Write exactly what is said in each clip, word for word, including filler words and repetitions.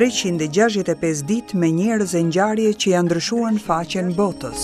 treqind e gjashtëdhjetë e pesë ditë me njerëz e ngjarje që ja ndryshuan faqen botës.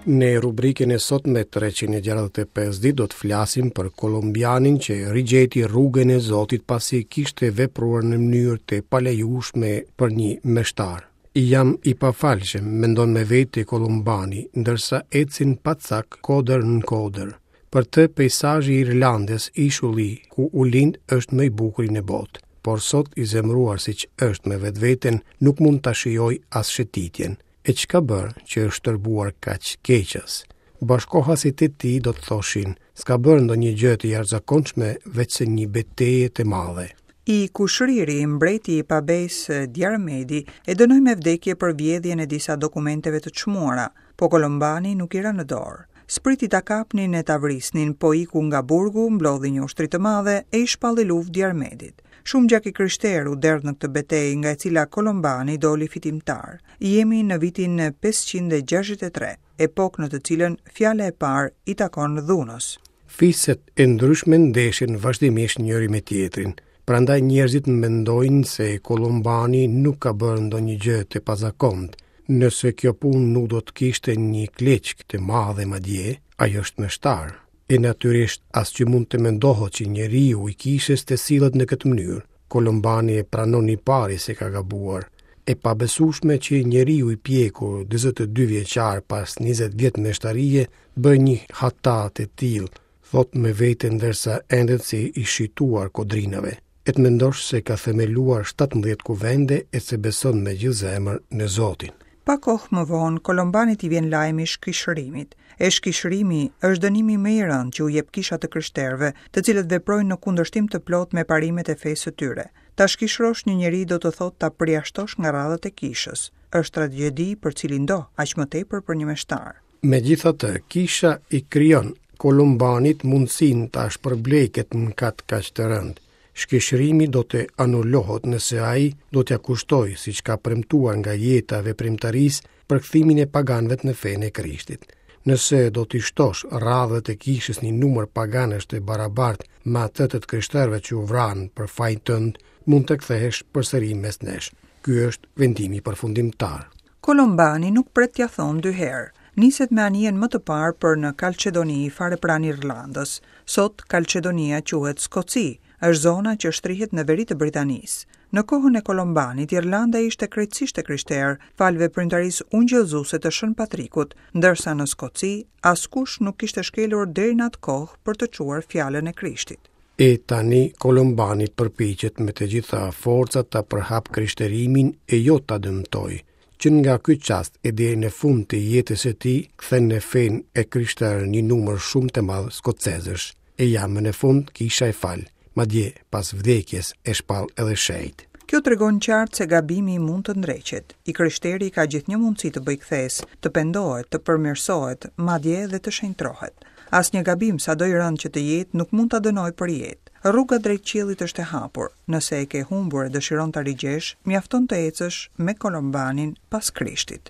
Në rubrikën e sotme treqind e gjashtëdhjetë e pesë ditë do të flasim për kolumbianin që rigjeti rrugën e Zotit pasi kishte vepruar në mënyrë të palejueshme për një meshtar. Jam i pafalshëm, mendon me vete Kolumbani, ndërsa ecin pa cak kodër në kodër. Për të peisazhi i Irlandës, ishulli ku u lind, është më i bukuri në botë, por sot i zemëruar siç është me vetveten, nuk mund ta shijoj as shëtitjen. E çka bërë që është tërbuar kaq keqas? Bashkohasit e tij do të thoshin, s'ka bërë ndonjë gjë të jashtëzakonshme veçse një betejë të madhe. I kushriri, mbreti i pabesë Diarmedi, e dënoi me vdekje për vjedhjen e disa dokumenteve të çmuara, po Kolombani nuk i ra në dorë. S'priti ta kapnin e ta vrisnin, po iku nga burgu, mblodhi një ushtri të madhe e i shpalli luftë Diarmedit. Shumë gjak i krishterë u derdh në këtë betejë, nga e cila Kolombani doli fitimtar. Jemi në vitin pesëqind e gjashtëdhjetë e tre, epokë në të cilën fjala e parë i takon dhunës. Fiset e ndryshme ndeshen vazhdimisht njëri me tjetrin. Prandaj njerëzit mendojnë se Kolombani nuk ka bërë ndonjë gjë të pazakontë. Nëse kjo punë nuk do të kishte një kleçk të madhe madje, ai është meshtar. E natyrisht as që mund të mendohet që njeriu i kishës të sillet në këtë mënyrë. Kolombani e pranon i pari se ka gabuar. E pabesueshme që njeriu i pjekur dyzet e dy vjeçar pas njëzet vjet meshtarie bën një hata të tillë, thot me vete ndërsa endet si i shituar kodrinave. E të mendosh se ka themeluar shtatëmbëdhjetë kuvende e se beson me gjithë zemër në Zotin. Pa kohë më vonë, Kolombanit i vjen lajmi i shkishërimit. E shkishërimi është dënimi më i rëndë që u jep kisha të krishterëve, të cilët veprojnë në kundërshtim të plotë me parimet e fesë së tyre. Ta shkishërosh një njeri do të thotë ta përjashtosh nga radhët e kishës. Është tragjedi për cilin do, aq më tepër për një meshtar. Megjithatë, kisha i krijon Kolombanit mundësinë ta shpërblejë këtë mëkat kaq të rëndë. Shkishërimi do të anulohet nëse ai do t'ja kushtojë, siç ka premtuar nga jeta e veprimtarisë, për kthimin e paganëve në fenë e Krishtit. Nëse do t'i shtosh radhët e kishës një numër paganësh të barabartë me atë të të krishterëve që u vranë për fajin tënd, mund të kthehesh përsëri mes nesh. Ky është vendimi përfundimtar. Kolombani nuk pret t'ja thonë dy herë. Niset me anijen më të parë për në Kalçedoni, fare pranë Irlandës. Sot Kalçedonia quhet Skoci, është zona që shtrihet në veri të Britanisë. Në kohën e Kolombanit, Irlanda ishte krejtësisht e krishterë, falë veprimtarisë ungjillëzuese të Shën Patrikut, ndërsa në Skoci askush nuk kishte shkelur deri në atë kohë për të çuar fjalën e Krishtit. E tani Kolombani përpiqet me të gjitha forcat ta përhap krishterimin e jo ta dëmtojë. Që nga ky çast e deri në fund të jetës së tij, kthen në fenë e krishterë një numër shumë të madh skocezësh. E ja më në fund kisha e fal, madje pas vdekjes e shpall edhe shenjt. Kjo tregon qartë se gabimi mund të ndreqet. I krishteri ka gjithnjë mundësi të bëjë kthesë, të pendohet, të përmirësohet, madje edhe të shenjtrohet. Asnjë gabim, sado i rëndë që të jetë, nuk mund ta dënojë për jetë. Rruga drejt qiellit është e hapur. Nëse e ke humbur e dëshiron ta rigjesh, mjafton të ecësh me Kolombanin pas Krishtit.